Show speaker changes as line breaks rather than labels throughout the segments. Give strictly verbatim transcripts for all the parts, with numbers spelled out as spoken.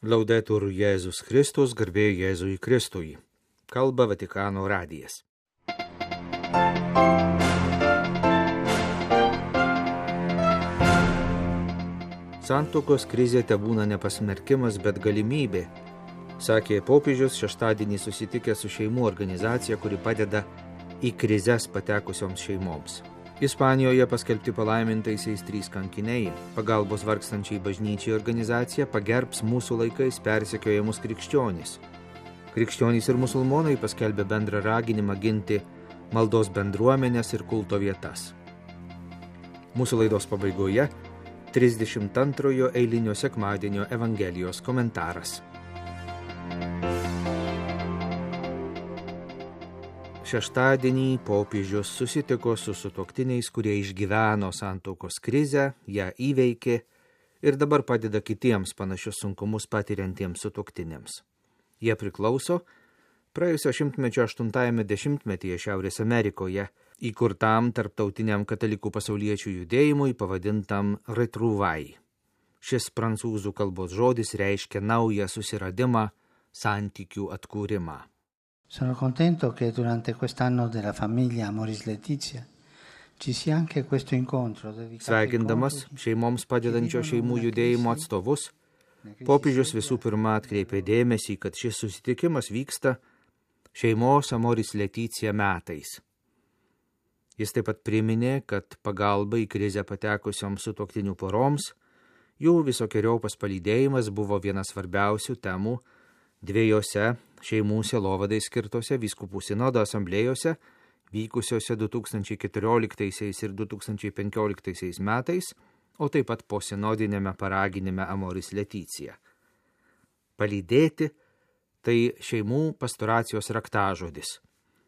Laudetur Jėzus Kristus, garbė Jėzui Kristui. Kalba Vatikano radijas. Santuokos krizė tebūna nepasmerkimas, bet galimybė, sakė popiežius šeštadienį susitikęs su šeimų organizacija, kuri padeda į krizes patekusioms šeimoms. Ispanijoje paskelbti palaimintaisiais trys kankiniai. Pagalbos vargstančiai bažnyčiai organizacija pagerbs mūsų laikais persekiojamus krikščionys. Krikščionys ir musulmonai paskelbė bendrą raginimą ginti maldos bendruomenės ir kulto vietas. Mūsų laidos pabaigoje trisdešimt antrojo eilinio sekmadienio Evangelijos komentaras. Šeštadienį popiežius susitiko su sutuoktiniais, kurie išgyveno santuokos krizę, ją įveikė ir dabar padeda kitiems panašius sunkumus patiriantiems sutuoktiniams. Jie priklauso praėjusio šimtmečio aštuntajame dešimtmetyje Šiaurės Amerikoje įkurtam tarptautiniam katalikų pasauliečių judėjimui pavadintam Retrouvai. Šis prancūzų kalbos žodis reiškia naują susiradimą, santykių atkūrimą.
Sono contento che durante quest'anno della famiglia Amoris Laetitia ci sia anche questo incontro dedicato.
Sveikindamas šeimoms padedančio šeimų judėjimo atstovus, popiežius visų pirma atkreipė dėmesį, kad šis susitikimas vyksta šeimos Amoris Laetitia metais. Jis taip pat priminė, kad pagalba į krizę patekusioms sutuoktinių poroms, jų visokiojopas palydėjimas buvo viena svarbiausių temų dviejose šeimų sielovadai skirtose vyskupų sinodo asamblėjose, vykusiose du tūkstančiai keturioliktaisiais ir du tūkstančiai penkioliktaisiais metais, o taip pat po sinodinėme paraginime Amoris Laetitia. Palydėti – tai šeimų pastoracijos raktažodis,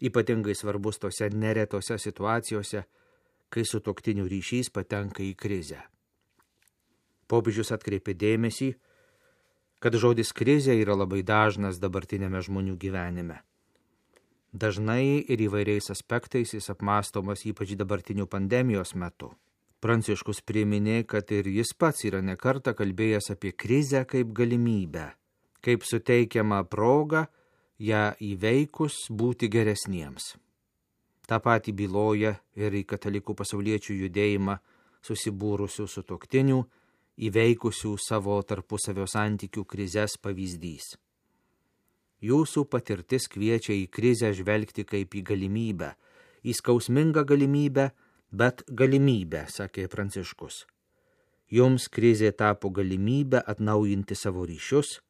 ypatingai svarbus tose neretose situacijose, kai sutuoktinių ryšys patenka į krizę. Popiežius atkreipė dėmesį, kad žodis krizė yra labai dažnas dabartinėme žmonių gyvenime. Dažnai ir įvairiais aspektais jis apmąstomas ypač dabartinių pandemijos metu. Pranciškus priminė, kad ir jis pats yra nekartą kalbėjęs apie krizę kaip galimybę, kaip suteikiamą progą ją įveikus būti geresniems. Ta pati byloja ir į katalikų pasauliečių judėjimą susibūrusių sutuoktinių, įveikusių savo tarpusavio santykių krizes pavyzdys. Jūsų patirtis kviečia į krizę žvelgti kaip į galimybę, į skausmingą galimybę, bet galimybę, sakė Pranciškus. Jums krizė tapo galimybę atnaujinti savo ryšius,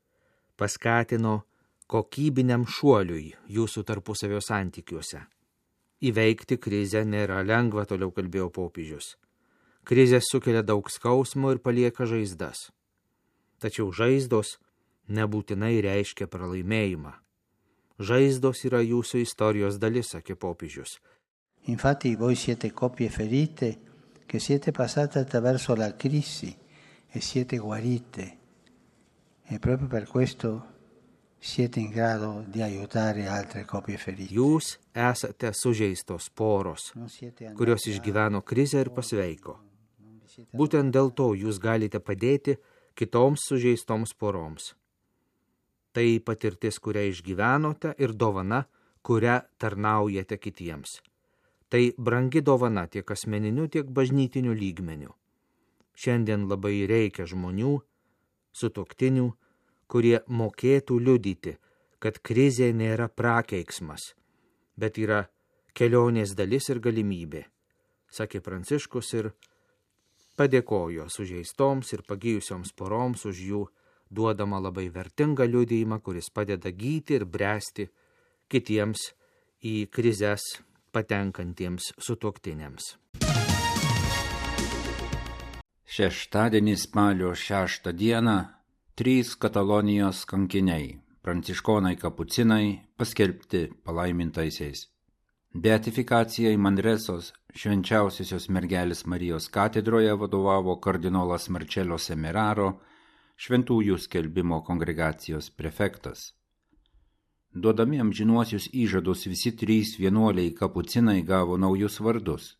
paskatino kokybiniam šuoliui jūsų tarpusavio santykiuose. Įveikti krizę nėra lengva, toliau kalbėjo popiežius. Krizės sukelia daug skausmo ir palieka žaizdas. Tačiau žaizdos nebūtinai reiškia pralaimėjimą. Žaizdos yra jūsų istorijos dalis, sakė popiežius.
Infatti voi siete coppie ferite che siete passate attraverso la crisi e siete guarite. E proprio per questo siete in grado di aiutare altre coppie ferite.
Jūs esate sužeistos poros, kurios išgyveno krizę ir pasveiko. Būtent dėl to jūs galite padėti kitoms sužeistoms poroms. Tai patirtis, kurią išgyvenote, ir dovana, kurią tarnaujate kitiems. Tai brangi dovana tiek asmeniniu, tiek bažnytiniu lygmeniu. Šiandien labai reikia žmonių, sutuoktinių, kurie mokėtų liudyti, kad krizė nėra prakeiksmas, bet yra kelionės dalis ir galimybė, sakė Pranciškus ir padėkojo sužeistoms ir pagijusioms poroms už jų duodamą labai vertingą liudijimą, kuris padeda gyti ir bręsti kitiems į krizes patenkantiems sutuoktiniams.
Šeštadienį spalio šeštą dieną trys Katalonijos kankiniai, pranciškonai kapucinai, paskelbti palaimintaisiais. Beatifikacija į Manresos švenčiausiosios mergelės Marijos katedroje vadovavo kardinolas Marcello Semeraro, šventųjų skelbimo kongregacijos prefektas. Duodami amžinuosius įžadus visi trys vienuoliai kapucinai gavo naujus vardus.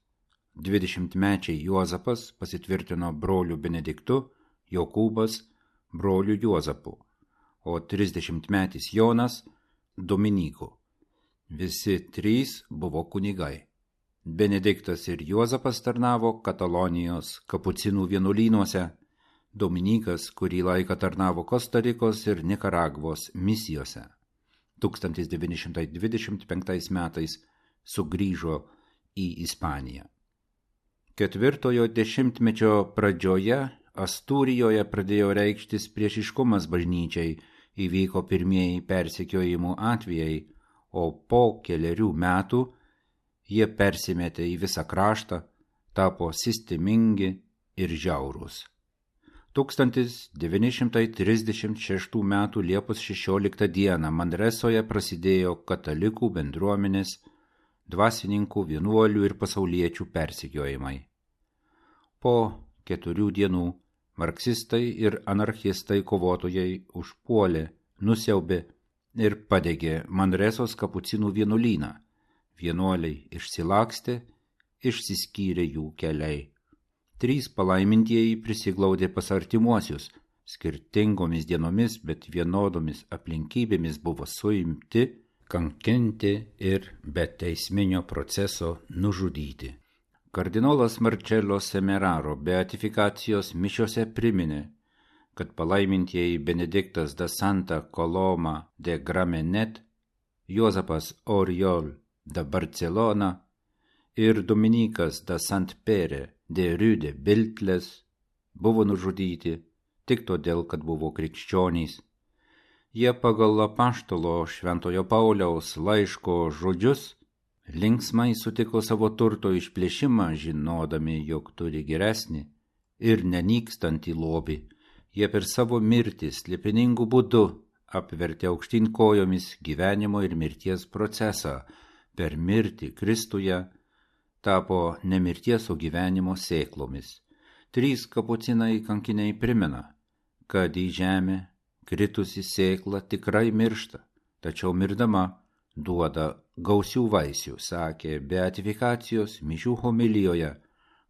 Dvidešimtmečiai Juozapas pasitvirtino broliu Benediktu, Jokūbas broliu Juozapu, o trisdešimtmetis Jonas Dominyku. Visi trys buvo kunigai. Benediktas ir Juozapas tarnavo Katalonijos kapucinų vienuolynuose, Dominykas kurį laiką tarnavo Kostarikos ir Nikaragvos misijose. tūkstantis devyni šimtai dvidešimt penktais metais sugrįžo į Ispaniją. Ketvirtojo dešimtmečio pradžioje Astūrijoje pradėjo reikštis priešiškumas bažnyčiai, įvyko pirmieji persekiojimų atvejai, o po keliarių metų jie persimetė į visą kraštą, tapo sistemingi ir žiaurūs. tūkstantis devyni šimtai trisdešimt šeštų metų Liepos šešioliktą dieną Manresoje prasidėjo katalikų bendruomenės, dvasininkų, vienuolių ir pasauliečių persekiojimai. Po keturių dienų marksistai ir anarchistai kovotojai užpuolė, nusiaubė ir padegė Manresos kapucinų vienuolyną. Vienuoliai išsilakstė, išsiskyrė jų keliai. Trys palaimintieji prisiglaudė pas artimuosius, skirtingomis dienomis, bet vienodomis aplinkybėmis buvo suimti, kankinti ir be teisminio proceso nužudyti. Kardinolas Marcello Semeraro beatifikacijos mišiose priminė, kad palaimintieji Benediktas da Santa Coloma de Gramenet, Juozapas Oriol da Barcelona ir Dominikas da Sant Pere de Rüde Biltles buvo nužudyti tik todėl, kad buvo krikščionys. Jie pagal apaštalo Šventojo Pauliaus laiško žodžius linksmai sutiko savo turto išplėšimą, žinodami, jog turi geresnį ir nenykstantį lobį. Jie per savo mirtį slėpiningų būdų apvertė aukštyn kojomis gyvenimo ir mirties procesą. Per mirtį Kristuje tapo ne mirties, o gyvenimo sėklomis. Trys kapucinai kankiniai primena, kad į žemę kritusi sėkla tikrai miršta, tačiau mirdama duoda gausių vaisių, sakė beatifikacijos mišių homilijoje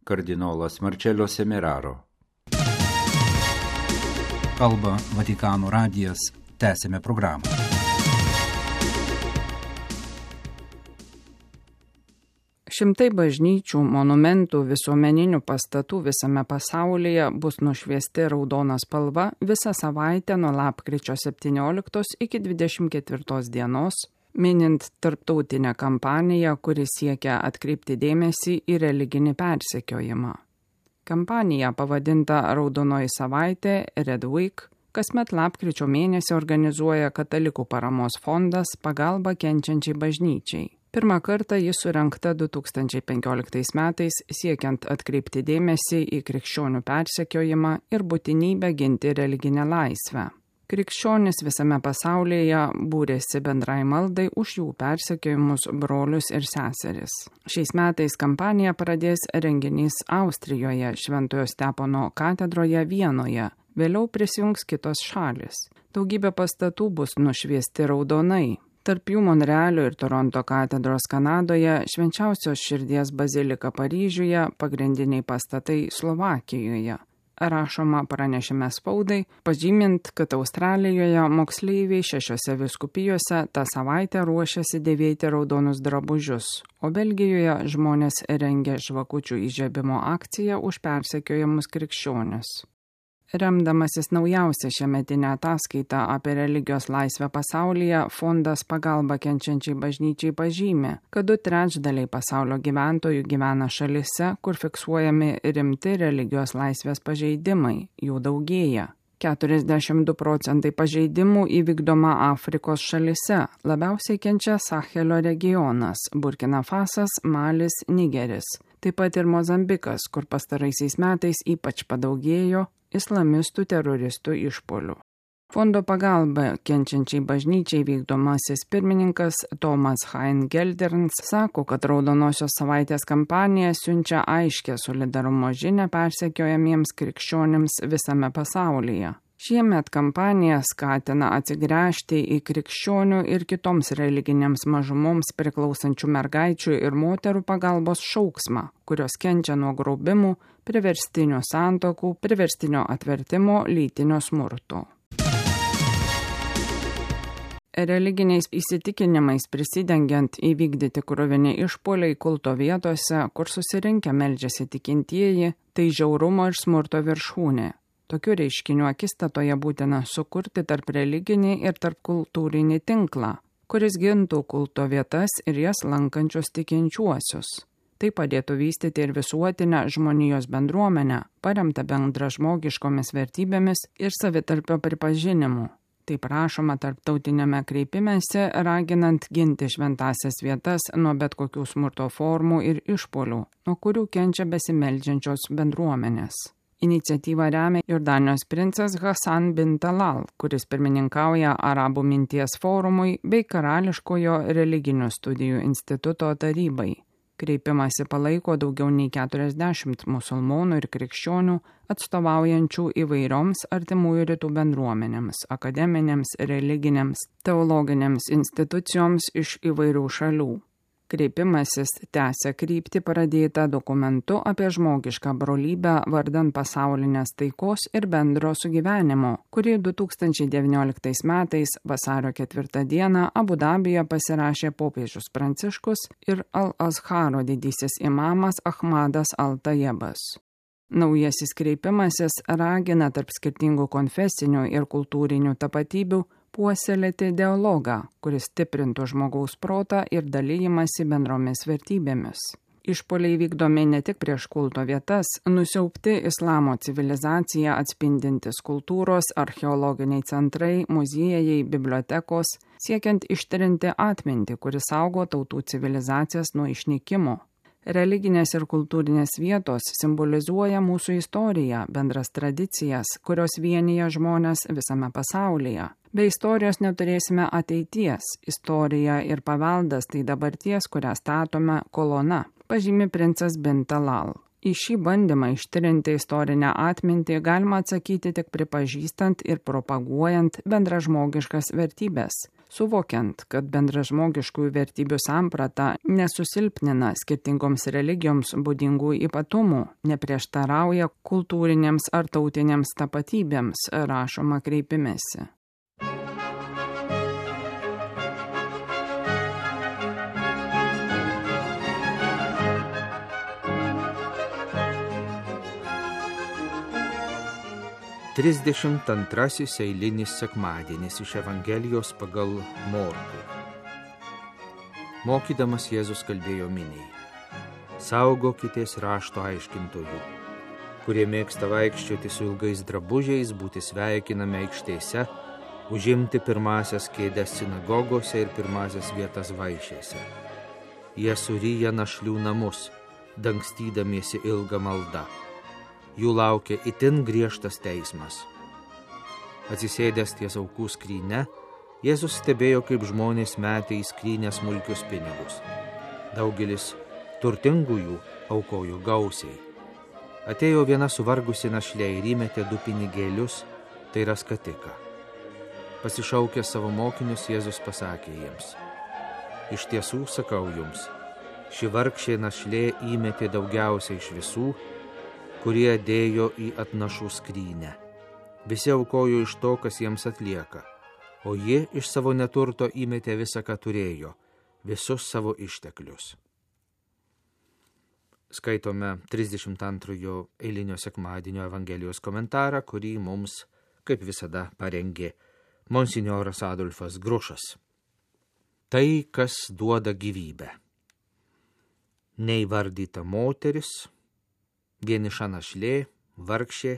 kardinolas Marcello Semeraro.
Kalba Vatikano radijas, tęsime programą.
Šimtai bažnyčių, monumentų, visuomeninių pastatų visame pasaulyje bus nušviesti raudona spalva visą savaitę nuo lapkričio septynioliktos iki dvidešimt ketvirtos dienos, minint tarptautinę kampaniją, kuri siekia atkreipti dėmesį į religinį persekiojimą. Kampanija pavadinta Raudonoji savaitė Red Week, kasmet lapkričio mėnesį organizuoja Katalikų paramos fondas Pagalba kenčiančiai bažnyčiai. Pirmą kartą jis surengta du tūkstančiai penkioliktais metais siekiant atkreipti dėmesį į krikščionių persekiojimą ir būtinybę ginti religinę laisvę. Krikščionys visame pasaulyje būrėsi bendrai maldai už jų persekiojimus brolius ir seseris. Šiais metais kampaniją pradės renginys Austrijoje, Šventojo Stepono katedroje Vienoje, vėliau prisijungs kitos šalis. Daugybė pastatų bus nušviesti raudonai. Tarp jų Monrealio ir Toronto katedros Kanadoje, Švenčiausios širdies bazilika Paryžiuje, pagrindiniai pastatai Slovakijoje. Rašoma pranešime spaudai, pažymint, kad Australijoje moksleiviai šešiose vyskupijose tą savaitę ruošiasi dėvėti raudonus drabužius, o Belgijoje žmonės rengia žvakučių įžiebimo akciją už persekiojamus krikščionius. Remdamasis naujausią šiemetinę ataskaitą apie religijos laisvę pasaulyje, fondas Pagalba kenčiančiai bažnyčiai pažymė, kad du trečdaliai pasaulio gyventojų gyvena šalise, kur fiksuojami rimti religijos laisvės pažeidimai, jų daugėja. keturiasdešimt du procentai pažeidimų įvykdoma Afrikos šalise, labiausiai kenčia Sahelio regionas, Burkina Fasas, Malis, Nigeris. Taip pat ir Mozambikas, kur pastaraisiais metais ypač padaugėjo islamistų teroristų išpuolių. Fondo Pagalba kenčiančiai bažnyčiai vykdomasis pirmininkas Tomas Hein Gelderns sako, kad Raudonosios savaitės kampanija siunčia aiškę solidarumo žinią persekiojamiems krikščionims visame pasaulyje. Šiemet kampanija skatina atsigręžti į krikščionių ir kitoms religinėms mažumoms priklausančių mergaičių ir moterų pagalbos šauksmą, kurios kenčia nuo grobimų, priverstinio santuokų, priverstinio atvertimo, lytinio smurto. Religiniais įsitikinimais prisidengiant įvykdyti kruvini išpuoliai kulto vietose, kur susirinkę meldžiasi tikintieji, tai žiaurumo ir smurto viršūnė. Tokių reiškinių akistatoje būtina sukurti tarp religinį ir tarp kultūrinį tinklą, kuris gintų kulto vietas ir jas lankančius tikinčiuosius. Tai padėtų vystyti ir visuotinę žmonijos bendruomenę, paremtą bendražmogiškomis vertybėmis ir savitarpio pripažinimu. Taip rašoma tarptautinėme kreipimėse, raginant ginti šventasias vietas nuo bet kokių smurto formų ir išpuolių, nuo kurių kenčia besimeldžiančios bendruomenės. Iniciatyvą remia Jordanijos princas Hasan bin Talal, kuris pirmininkauja Arabų minties forumui bei Karališkojo religinių studijų instituto tarybai. Kreipimąsi palaiko daugiau nei keturiasdešimt musulmonų ir krikščionių atstovaujančių įvairioms artimųjų rytų bendruomenėms, akademinėms, religinėms, teologinėms institucijoms iš įvairių šalių. Kreipimasis tęsia kryptį pradėtą dokumentu apie žmogišką brolybę vardan pasaulinės taikos ir bendro sugyvenimo, kurį du tūkstančiai devynioliktais metais vasario ketvirtą dieną Abu Dabyje pasirašė popiežius Pranciškus ir Al-Azharo didysis imamas Ahmadas Al-Tajebas. Naujasis kreipimasis ragina tarp skirtingų konfesinių ir kultūrinių tapatybių puoselėti dialogą, kuris stiprintų žmogaus protą ir dalijimąsi bendromis vertybėmis. Išpuoliai vykdomi ne tik prieš kulto vietas, nusiaubti islamo civilizaciją atspindintis kultūros, archeologiniai centrai, muziejai, bibliotekos, siekiant ištrinti atmintį, kuris saugo tautų civilizacijas nuo išnykimo. Religinės ir kultūrinės vietos simbolizuoja mūsų istoriją, bendras tradicijas, kurios vienyje žmonės visame pasaulyje. Be istorijos neturėsime ateities. Istorija ir paveldas tai dabarties, kurią statome kolona, pažymi princas bin Talal. Į šį bandymą ištrinti istorinę atmintį galima atsakyti tik pripažįstant ir propaguojant bendražmogiškas vertybės, suvokiant, kad bendražmogiškųjų vertybių samprata nesusilpnina skirtingoms religijoms būdingų ypatumų, neprieštarauja kultūrinėms ar tautinėms tapatybėms, rašoma kreipimėsi.
Trisdešimt antrasis eilinis sekmadienis iš Evangelijos pagal Morkų. Mokydamas Jėzus kalbėjo miniai: saugokitės rašto aiškintojų, kurie mėgsta vaikščioti su ilgais drabužiais, būti sveikinami aikštėse, užimti pirmasias kėdes sinagogose ir pirmasias vietas vaišėse. Jie suryja našlių namus, dangstydamiesi ilgą maldą. Jų laukia itin griežtas teismas. Atsisėdęs ties aukų skryne, Jėzus stebėjo, kaip žmonės metė į skrynę smulkius pinigus. Daugelis turtingųjų aukojo gausiai. Atėjo viena suvargusi našlė ir įmetė du pinigėlius, tai yra skatiką. Pasišaukęs savo mokinius, Jėzus pasakė jiems: iš tiesų sakau jums, ši vargšė našlė įmetė daugiausiai iš visų, kurie dėjo į atnašų skrynę. Visi aukojo iš to, kas jiems atlieka, o ji iš savo neturto įmetė visą, ką turėjo, visus savo išteklius. Skaitome trisdešimt antrojo eilinio sekmadienio Evangelijos komentarą, kurį mums, kaip visada, parengė monsinjoras Adolfas Grušas. Tai, kas duoda gyvybę. Neįvardyta moteris, vieniša našlė, vargšė,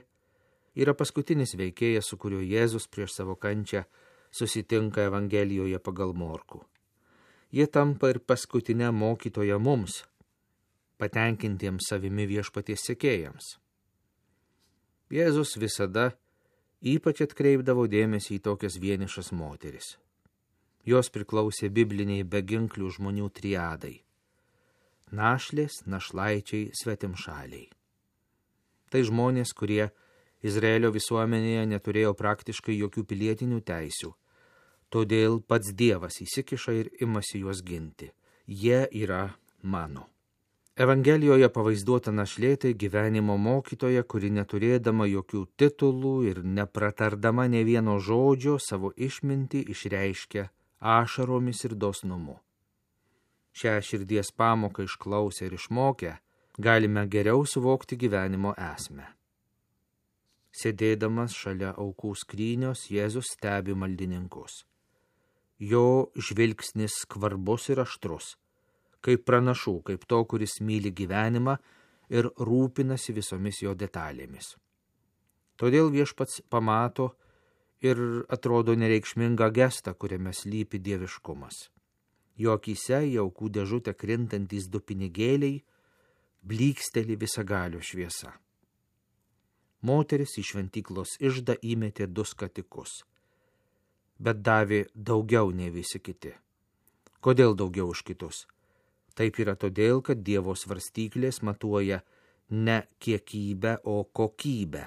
yra paskutinis veikėjas, su kuriuo Jėzus prieš savo kančią susitinka Evangelijoje pagal Morkų. Jie tampa ir paskutinę mokytoją mums, patenkintiems savimi viešpaties sekėjams. Jėzus visada ypač atkreipdavo dėmesį į tokias vienišas moteris. Jos priklausė bibliniai beginklių žmonių triadai – našlės, našlaičiai, svetimšaliai. Tai žmonės, kurie Izraelio visuomenėje neturėjo praktiškai jokių pilietinių teisių, todėl pats Dievas įsikiša ir imasi juos ginti. Jie yra mano. Evangelijoje pavaizduota našlė tai gyvenimo mokytoja, kuri neturėdama jokių titulų ir nepratardama nė vieno žodžio savo išmintį išreiškia ašaromis ir dosnumu. Šią širdies pamoką išklausę ir išmokę, galime geriau suvokti gyvenimo esmę. Sėdėdamas šalia aukų skrynios, Jėzus stebi maldininkus. Jo žvilgsnis skvarbus ir aštrus, kaip pranašų, kaip to, kuris myli gyvenimą ir rūpinasi visomis jo detalėmis. Todėl Viešpats pamato ir atrodo nereikšmingą gestą, kuriame slypi dieviškumas. Jo akyse į aukų dėžutę krintantys du pinigėliai blyksteli visagalio šviesa. Moteris į šventyklos iždą įmetė du skatikus, bet davė daugiau nei visi kiti. Kodėl daugiau už kitus? Taip yra todėl, kad Dievo svarstyklės matuoja ne kiekybę, o kokybę,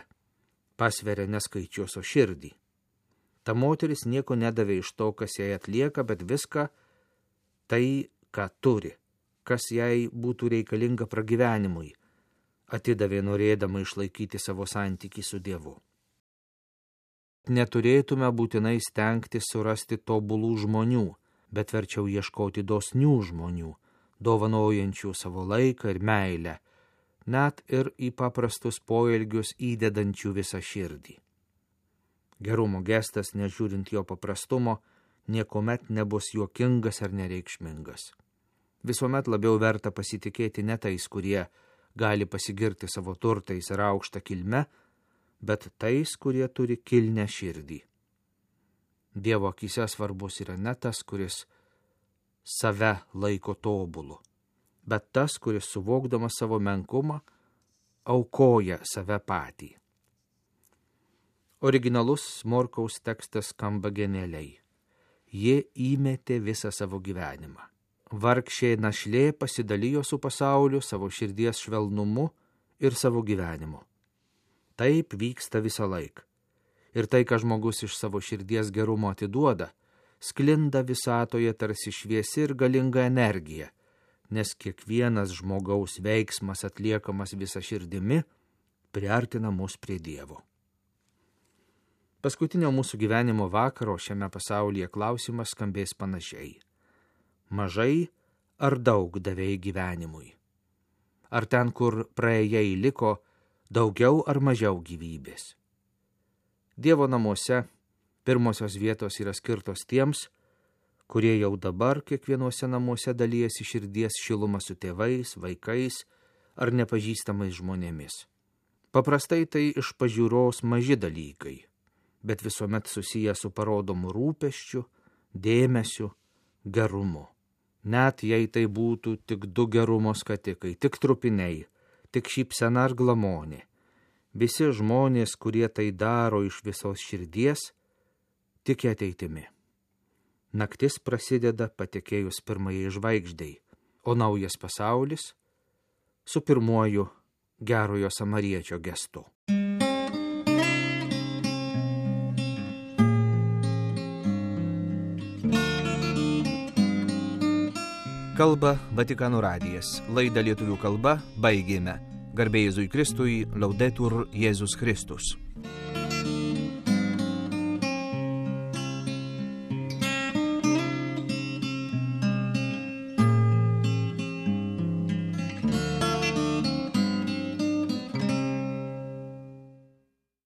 pasveria ne skaičius, o širdį. Ta moteris nieko nedavė iš to, kas jai atlieka, bet viską tai, ką turi, kas jai būtų reikalinga pragyvenimui, atidavė norėdama išlaikyti savo santykį su Dievu. Neturėtume būtinai stengtis surasti tobulų žmonių, bet verčiau ieškoti dosnių žmonių, dovanojančių savo laiką ir meilę, net ir į paprastus poelgius įdedančių visą širdį. Gerumo gestas, nežiūrint jo paprastumo, niekuomet nebus juokingas ar nereikšmingas. Visuomet labiau verta pasitikėti ne tais, kurie gali pasigirti savo turtais ir aukštą kilmę, bet tais, kurie turi kilnią širdį. Dievo akyse svarbus yra ne tas, kuris save laiko tobulu, bet tas, kuris suvokdamas savo menkumą, aukoja save patį. Originalus Morkaus tekstas skamba genialiai. Ji įmetė visą savo gyvenimą. Vargšė našlė pasidalijo su pasauliu savo širdies švelnumu ir savo gyvenimu. Taip vyksta visą laiką. Ir tai, ką žmogus iš savo širdies gerumo atiduoda, sklinda visatoje tarsi šviesi ir galinga energija, nes kiekvienas žmogaus veiksmas atliekamas visa širdimi priartina mus prie Dievo. Paskutinio mūsų gyvenimo vakaro šiame pasaulyje klausimas skambės panašiai. Mažai ar daug davėjai gyvenimui? Ar ten, kur praėjai, liko daugiau ar mažiau gyvybės? Dievo namuose pirmosios vietos yra skirtos tiems, kurie jau dabar kiekvienuose namuose dalijasi širdies šilumą su tėvais, vaikais ar nepažįstamais žmonėmis. Paprastai tai iš pažiūros maži dalykai, bet visuomet susiję su parodomu rūpesčiu, dėmesiu, gerumu. Net jei tai būtų tik du gerumo skatikai, tik trupiniai, tik šypsena ar glamonė, visi žmonės, kurie tai daro iš visos širdies, tiki ateitimi. Naktis prasideda patekėjus pirmajai žvaigždei, o naujas pasaulis su pirmuoju gerojo samariečio gestu. Kalba Vatikano radijas. Laidą lietuvių kalba baigėme. Garbė Jėzui Kristui, Laudetur Jėzus Kristus.